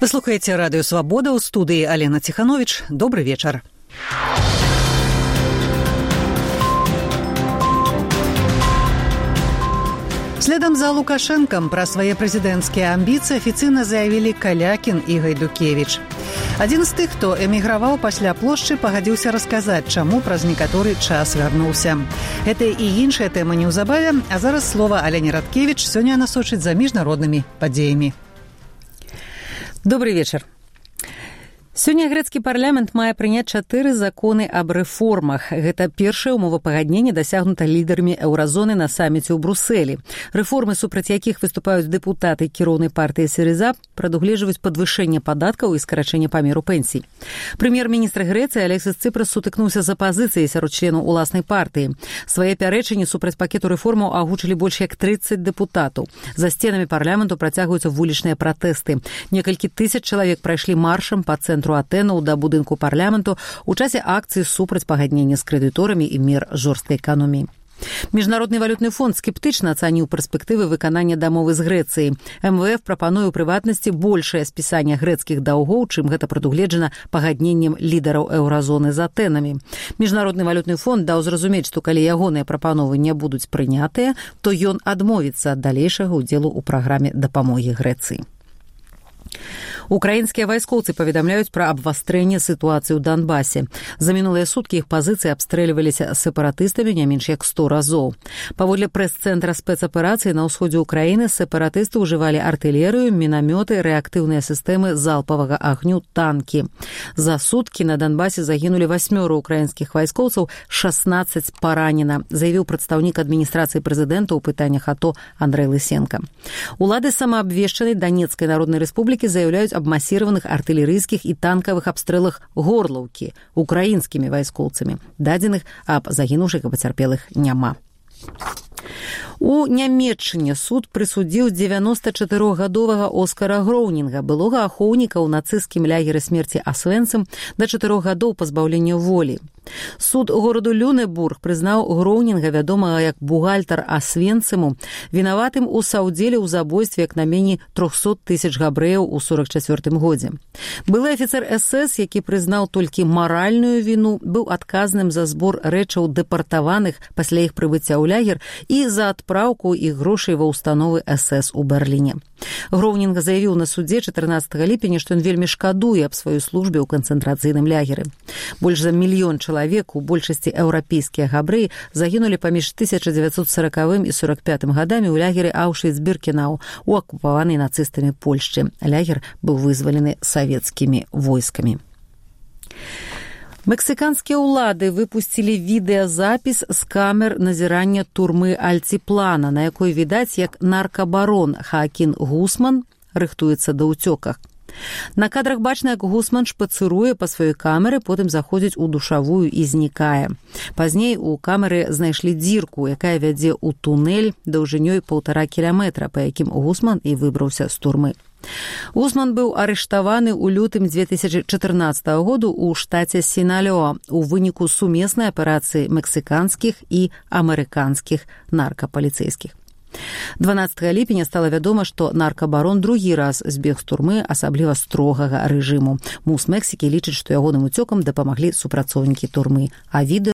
Вы слухаеце радыё «Свабода», ў студыі Алена Ціхановіч. Добры вечар. Следам за Лукашэнкам пра свае прэзідэнцкія амбіцыі афіцыйна заявілі Калякін і Гайдукевіч. Адзін з тых, хто эміграваў пасля плошчы, пагадзіўся расказаць, чаму праз некаторы час вярнуўся. Гэта і іншая тэма неўзабаве, а зараз слова Алене Радкевіч сёння насочыць за міжнароднымі падзеямі. Добрый вечар. Сёння грэцкі парламент мае прыняць 4 законы аб рэформах. Гэта першае умовапагадненне дасягнута лідарамі еўразоны на саміце ў Брусэлі. Рэформы, супраць якіх выступаюць дэпутаты кіроўнай партыі СΥРИЗА, прадугледжваюць падвышэнне падаткаў і скарачэнне памеру пенсій. Прэм'ер-міністр Грэцыі Алексіс Ципрас сутыкнуўся з апазіцыяй сярод членаў уласнай партыі. Свае пярэчанні супраць пакету рэформаў агучылі больш як 30 дэпутатаў. За сценамі парламенту працягваюцца вулічныя пратэсты. Некалькі тысяч чалавек прайшлі маршам па цэнтру Атэнаў да будынку парламенту ў часе акцыі супраць пагаднення з крэдыторамі і мер жорсткай эканоміі. Міжнародны валютны фонд скептычна ацаніў перспектывы выканання дамовы з Грэцыяй. МВФ прапануе ў прыватнасці большае спісанне грэцкіх даўгоў, чым гэта прадугледжана пагадненнем лідараў еўразоны з Атэнамі. Міжнародны валютны фонд даў зразумець, што калі ягоныя прапановы не будуць прынятыя, то ён адмовіцца ад далейшага ўдзелу ў праграме дапамогі Грэцыі. Украінскія вайскоўцы паведамляюць пра абвастрэнне сітуацыі ў Донбасе. За мінулыя суткі іх пазіцыі абстрэльваліся сепаратыстамі не менш як 100 разоў. Паводле прэс-цэнтра спецаперацыі на ўсходзе ўкраіны сепаратысты ўжывалі артылерыю, мінамёты, рэактыўныя сістэмы залпавага агню, танкі. За суткі на Донбасе загінулі 8 украінскіх вайскоўцаў, 16 паранена, заявіў прадстаўнік адміністрацыі прэзідэнта ў пытаннях АТО Андрэй Лысенко. Улады самаабвешчанай Донецкай народнай рэспублікі заяўляюць аб масіраваных артылерыйскіх і танкавых абстрэлах Горлаўкі украінскімі вайскоўцамі. Дадзеных аб загінуўшых і пацярпелых няма. У Нямецчыне суд прысудзіў 94-гадовага Оскара Гроўнінга, былога ахоўніка ў нацысцкім лягеры смерці Асвенцым, да 4 гадоў пазбаўлення волі. Суд гораду Люнебург прызнаў Гроўнінга, вядомага як бухгалтар Асвенцыму, вінаватым у саўдзеле ў забойстве як найменей 300 тысяч габрэяў у 44 годзе. Былы афіцэр СС, які прызнаў толькі маральную віну, быў адказным за збор рэчаў дэпартаваных пасля іх прыбыцця ў лягер і за адпраўку іх грошай ва ўстановы СС у Берліне. Гроўнінга заявіў на судзе 14 ліпеня, што ён вельмі шкадуе аб сваёй службе ў канцэнтрацыйным лягеры. Больш за мільён чалавек, у большасці еўрапейскія габрэі, загінулі паміж 1940 і 45 гадамі ў лягеры Аўшвіц-Біркенау у акупаванай нацыстамі Польшчы. Лягер быў вызвалены савецкімі войскамі. Мексіканскія ўлады выпусцілі відэазапіс з камер назірання турмы Альціплана, на якой відаць, як наркабарон Хаакін Гусман рыхтуецца да ўцёках. На кадрах бачна, як Гусман шпацыруе па сваёй камеры, потым заходзіць у душавую і знікае. Пазней у камеры знайшлі дзірку, якая вядзе ў тунэль даўжынёй 1,5 кіламетра, па якім Гусман і выбраўся з турмы. Гусман быў арыштаваны ў лютым 2014 году ў штаце Сіналёа у выніку сумеснай аперацыі мексіканскіх і амерыканскіх наркапаліцэйскіх. 12 ліпеня стала вядома, што наркабарон другі раз збег з турмы асабліва строгага рэжыму. МУС Мексікі лічыць, што ягоным уцёкам дапамаглі супрацоўнікі турмы, а відэа